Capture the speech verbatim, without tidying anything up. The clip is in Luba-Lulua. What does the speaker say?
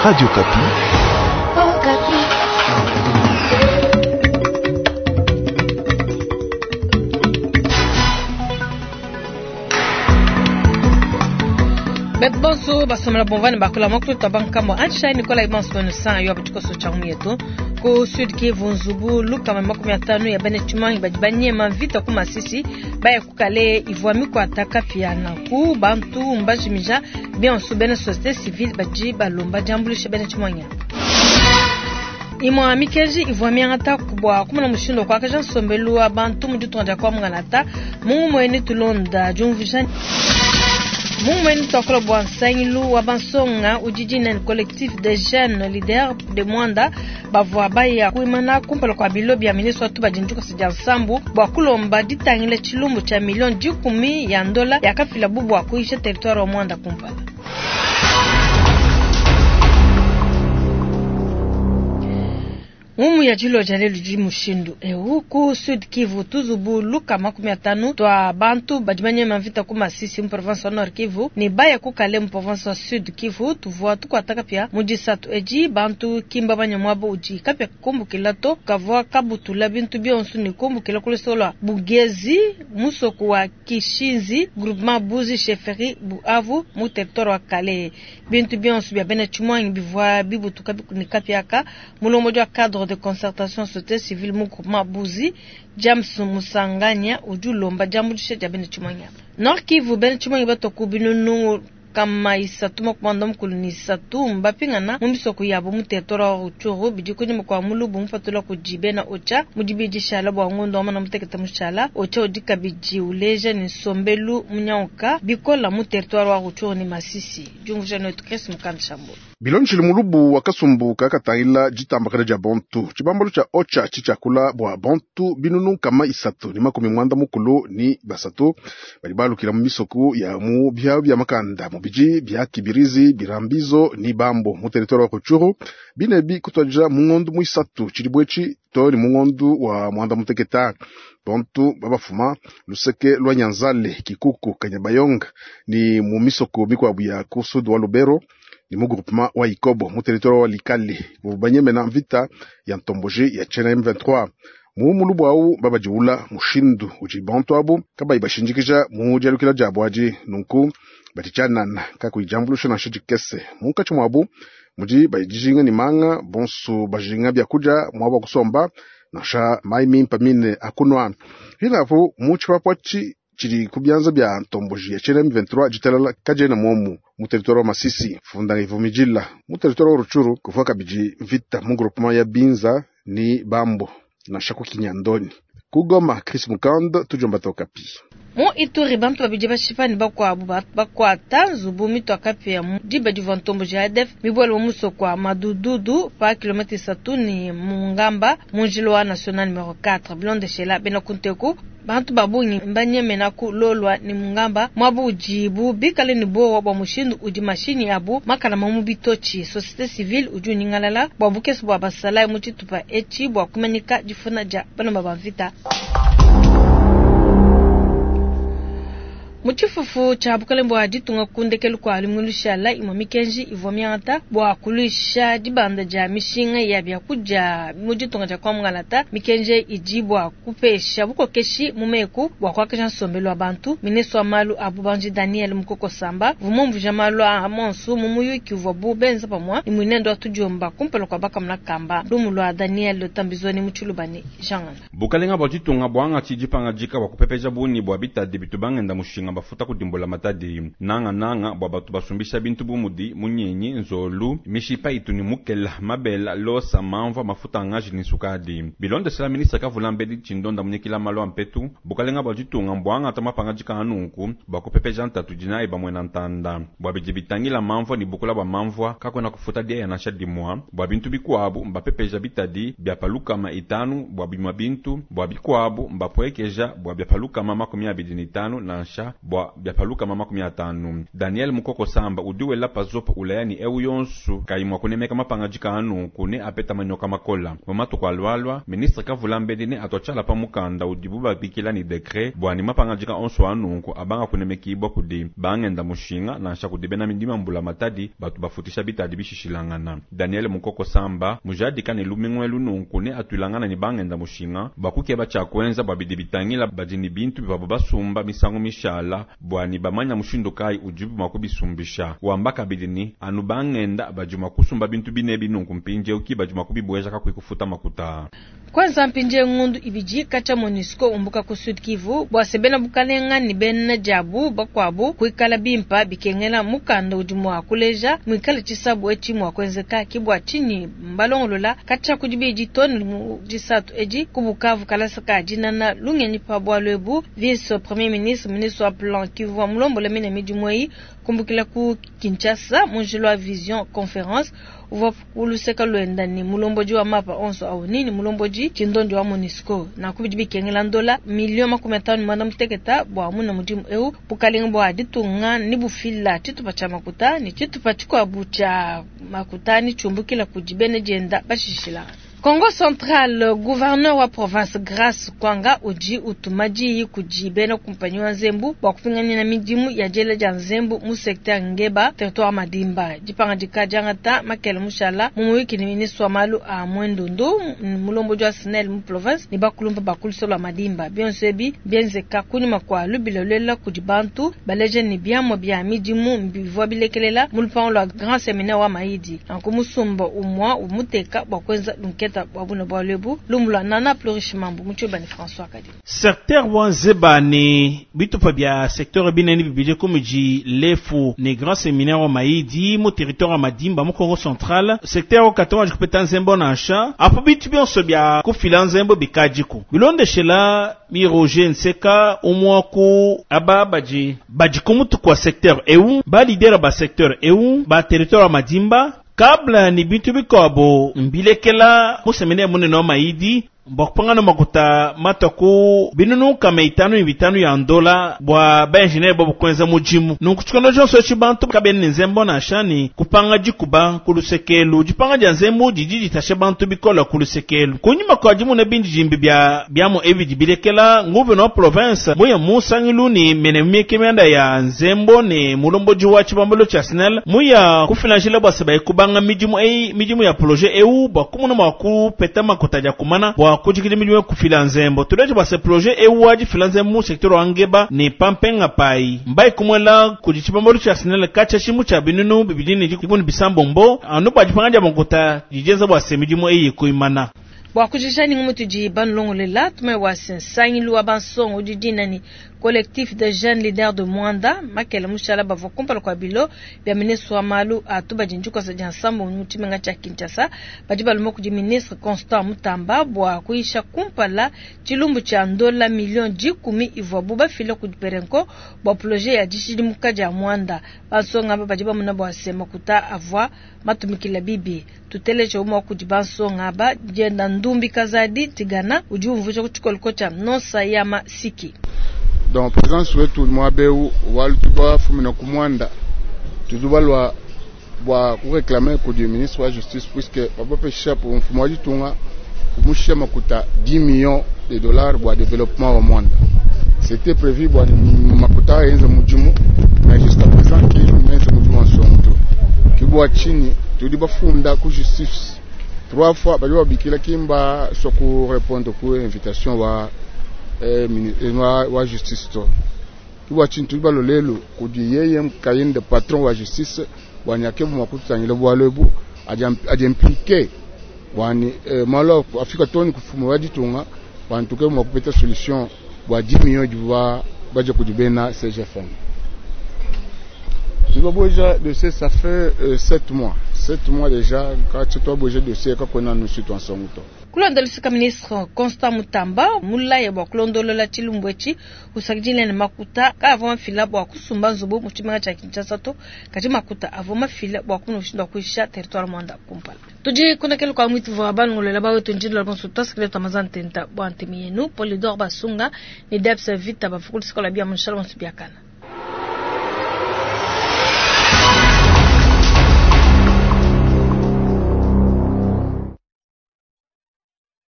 Radio Okapi. Oh, Beto bonso basomela bomvani bakola mokulu twa bankambo antsha Nicola Ibonso bonu san yo abutikoso cha mwetu ku Sud Kivu nzubu lukama makumi atano ya bene chumangi badi banyema vita ku Masisi baya kukale ivwa mikwata kapia na ku bantu mbajimija bionso bene société civile badi balomba jambulisha bene chumangi imwa mikeji ivwa miangata kubwa kumuna mushindo kwa kaja nsombelu wa bantu mu ditunga dia kwa mungalata mungu mwene tulonda jumvija Mumweni twakola bwa nsangilu wa bansonga ujiji collectif des jeunes leaders de Mwanda bavua baya kuimana kumpala kwa bilo bya ministre watu badinjuka sija nsambu bwa kulomba ditangila chilumbu cha milioni dikumi ya ndola yakafila bubu kuisha territoire wa Mwanda kumpala. Mumu ya jilo jalelu ji mushindu ewu ku Sud Kivu tuzubu luka makumi atanu twa bantu badimanye mavita ku Masisi mu province wa Nord Kivu ni baya ku Kale mu province wa Sud Kivu tuvua tukwataka pia mujisatu eji bantu kimba banyamwabo uji kapya kumbukila to kavua kabutula bintu bionso ni kumbukila kulesola Bugezi musoko wa Kishinzi groupement Buzi chefferie Buavu mu territoire wa Kale bintu bionso bya bene chumwangi bivua bibutuka ni kapyaka mulombo wa cadre de concertation société civile mu groupement Buzi James Musanganya ujulomba jambulisha ja bene chumwangi Nord Kivu bene chumwangi batoku binunu kama isatu makumanda mukulu ni isatu mbapingana mu misoko yabo mu territoire wa Rutshuru bidi kunyuma kwa mulubu mupatula kujibe na ocha mudibi dishala bwa ngondo wamana muteketa mushala ocha udi kabidi uleja ni nsombelu munyauka bikola mu territoire wa Rutshuru ni Masisi jumvusha netu Chris Mukandishambo bilonjili mulubu wa kasumbu kakatangila jitambakana dia bantu tshibambalu tshia ocha tshitshiakula bua bantu binunu kama isatu ni makumi mwanda mukulu ni basatu badi balukila mu misoku ya mu bia bia makanda mu biji bia kibirizi birambizo ni bambo mu territoire wa Rutshuru binebi kutwadja mu ngondu mu isatu tshilibwetshi to ni mu ngondu wa mwanda muteketa bantu babafuma luseke lwa Nyanzale Kikuku Kanyabayonga ni mu misoko mikwabu ya ku sud wa Lubero ni mu groupement wa Ikobo mu territoire wa Likale banyemena mvita ya ntomboji ya chena M vingt-trois mu mulubu awu babadiwula mushindu udi bantu abu kabayi bashindikija mu dialukila diabu adi nunku badi tshianana kakuyijambulusha nansha dikese munkatshi muabu mudi bayidijinga ni manga bonso bajinga biakudia muabu akusomba nansha mayi mimpa mine akunwa hinapu mu tshipapua tshidi ku bianza bia ntomboji ya chena M vingt-trois ditalala kadiena momu mu territoire wa Masisi funda ivumijila mu territoire wa Rutshuru kuvua kabidi mvita mu groupement ya Binza ni Bambo nansha ku Kinyandoni kugoma Chris Mukand tujomba tokapi mu Ituri bantu babidi bashipa ni bakwabu bakwata nzubu mitwa kapia mu diba divua ntomboji ya A D F mibwele mu musoko wa Madududu pa kilomètre isatu ni Mungamba mu njila wa national numero quatre bilondeshela bena kunteku bantu babungi mbanyemena ku lolwa ni Mungamba mwabu ujibu bikale ni bowa bwa mushindu udi mashini abu makala mamu bitochi société civile udi uningalala bwa bukesi bwa basala mu tshitupa echi bwa kumanika difuna dia bana ba mvita. Mutshifufu tsha bukalembo bwa ditunga kundekelu kwa limwilushala imwa mikenji ivwa miangata bwa kulisha dibanda dia mishinga ya biakudia mu ditunga dia kwa mungalata mikenji idi bwa kupesha bukokeshi mu meku bwa kuakisha nsombelu wa bantu ministre wa malu a bubanji Daniel Mukoko Samba vumumvuja malu a monsu mu muyuki uvua bu benza pamua ni mwinendo wa tudiomba kumpala kwa bakamuna kamba lumu lwa Daniel Tambizoni mu tshilubani Jean Bukalenga bwa ditunga bwanga tshidipanga dika bwa kupepeja buni bwa bitadi bitubangenda mushinga bafuta kudimbola matadi nanga nanga bwa batu basumbisha bintu bumudi munyenyi nzolu mishipa ituni mukela mabela losa mamva mafuta ngaji ni sukadi bilonde sela ministre kavula mbedi chindonda munyekila malo ampetu bukalenga bwa ditunga mbwanga ta mapanga dika anunku bwa kupepeja ntatu dina eba mwena ntanda bwa bidi bitangila mamvwa ni bukula bwa mamvwa kakwena kufuta dia ya nasha dimwa bwa bintu bikwabu mbapepeja bitadi bya palukama itanu bwa bimwa bintu bwa bikwabu mbapwekeja bwa bya palukama makumi abidi ni tanu nansha bua bia lukama makumi atanu. Daniel Mukoko Samba udi wela pazopa ulaya ni eu yonsu kayi mua kunemeka mapangadika anunku ne apeta manyoka makola. Mu matuku alualua, ministre kavula mbedi ne atwatshia pa mukanda udibu babikila ni décret bua ni mapangadika onso anunku abanga kunemekibwa kudi bangenda mushinga nansha kudi bena midima mbula matadi batu bafutisha bitadi bishishilangana. Daniel Mukoko Samba mujadika ne lumingwelu nunku ne atwilangana ni bangenda mushinga bakukeba tshia kuenza bua bidi bitangila badi ni bintu bivua basumba misangu mishala bua ni bamanya mushindu kayi udibu mua kubisumbisha. Wamba kabidi ni anu bangenda badi mua kusumba bintu binebi nunku mpindieu ki badi mua kubibweja kakuyi kufuta makuta. Kwanza mpindie ngundu ibidi kacha MONUSCO umbuka ku Sud Kivu bua sebena bukalenga ni bena jabu bakwabu kuikala bimpa bikengela mukanda udi mua kuleja muikale tshisabu etshi mua kuenzeka kibwa chini mbalongolola kacha kudibidi toni mu disatu edi ku Bukavu kalasa ka dinana lungenyi pa bwalu ebu vice premier ministre ministre wa plan Kivu wa mulombola mine midimu eyi kumbukila ku Kinshasa munjilo wa vision conference uvua kuluseka lwenda ni mulomboji wa mapa onso au nini mulomboji chindondi wa MONUSCO na kubidi bikengela ndola milioni makumi atano mwanda muteketa bwa muna mudimu eu bukalenga bwa ditunga ni bufila tshitupa tshia makuta ni tshitupa tshikuabu tshia makuta ni tshumbukila kudi bene dienda bashishila. Congo Central, gouverneur wa province Grace Kwanga udi utumaji kudi bena kumpanyi wa Nzembu bwa kupingana na midimu ya jela ja Nzembu mu secteur Ngeba territoire Madimba. Dipanga dikajangata Makele Mushala mu wiki ni ministre wa malu a Mwendundu mulombo wa SNEL mu province ni bakulumba bakulisola Madimba. Bionso ebi bienzeka kunyuma kwa lubilolela kudi bantu baleje ni biamwa bya midimu mbivwa bilekelela mu lupango lwa grand séminaire wa Maidi. Ankumusumba umwa umuteka bwa kwenza lunketa wabuna bwalebu lumula nana Flourish Mambu muchoba ni François Kadi. Secteur wa Nzeba ni bitupa bya secteur binene bibije komiji lefu ni grand séminaire wa Maidi mu territoire wa Madimba mu Congo Central. Secteur wa katwa jikupeta Nzembo na sha apo bitu byonso bya kufila Nzembo bikajiku bilondeshela mi Roger Nseka umwaku aba baji baji kumutu kwa secteur eu ba leader ba secteur eu ba territoire wa Madimba kabla ni bintu bikabo mbilekela musemene munene wa Maidi mbokupangana makuta mataku binunu kama itanu ni bitanu ya ndola bwa ba engineer bo kwenza mujimu nunkuchikono jonso chibantu kabene nzembo na shani kupanga jikuba kulusekelu jipanga ja nzembo jiji jitashe bantu bikola kulusekelu kunyuma kwa jimu na bindi jimbi bya byamo ebi jibilekela nguve no province muya musangilu ni mene mieke mianda ya nzembo ni mulombo juwa chibambalo cha SNEL muya kufinanshila bwa seba kubanga mijimu ei mijimu ya projet eu bwa kumuna makupeta makuta ja kumana bwa kujikili miliwe kufila nzembo tuleje bwa se projet ewaji fila nzembo mu secteur wa Ngeba ni pampenga pai mbai kumwela kujichibambalo cha SNEL kacha shimu cha binunu bibidini jikuni bisambombo anu bwa jipanga makuta jijenza bwa se mijimu eyi kuimana bwa kujishani ngumutu ji banlongolela tume wa sensangilu wa bansongo udi ni collectif de jeunes leaders de Mwanda makele mushala bavo kumpala kwa bilo bya ministre wa malu atuba jinjuko sa jansambo mutimenga cha Kinshasa badi balumo kudi ministre Constant Mutamba bwa kuisha kumpala chilumbu cha ndola million jikumi ivwa buba fila kudi perenko bwa projet ya dishidimuka ja Mwanda bansonga badi bamuna bwa sema kuta avwa matumikila bibi tuteleje umwa kudi bansonga ba jenda ndumbi kazadi tigana udi umvuja kuchikoloko cha nosa ya masiki. Donc présence wetu mwabeu walutuba fumina kumwanda tuzubalwa bwa kuréclamer ku du ministre wa justice puisque papa pesha pour mfumo wa ditunga kumushia makuta dix millions de dollars bwa développement wa Mwanda. C'était prévu bwa makuta yenze mujimu mais jusqu'à présent ki menze mujimu nsonto kibwa chini tudi bafunda ku justice trois fois bali babikila kimba soku répondre ku invitation wa eh, wa, wa justice to kibwa chini tudi balolelo kudi yeye kayinde patron wa justice bwanyake mu makutangile bwalebu aje impliqué bwani eh, malo afika toni kufumu wa ditunga bantuke mu kupeta solution bwa dix millions du baje kudibena C G F M. Nous dossier ça fait euh, sept mois. sept mois déjà quand tu dois bouger dossier quand on a nous sur ensemble. Kulondolisika ministre Constant Mutamba mulaye bwa kulondolola chilumbwechi usakijile na makuta ka avoma fila bwa kusumba nzubu mu chimenga cha Kinshasa to kati makuta avoma fila bwa kuno kushinda kuisha territoire Mwanda kumpala. Tuji kuna kelo kwa mwitu wa bangolela ba wetu njindula bonso taskile tamazan tenta bwa ntemi yenu Polidor Basunga ni Debs Vita bafukulisikola bia munshala bonso biakana.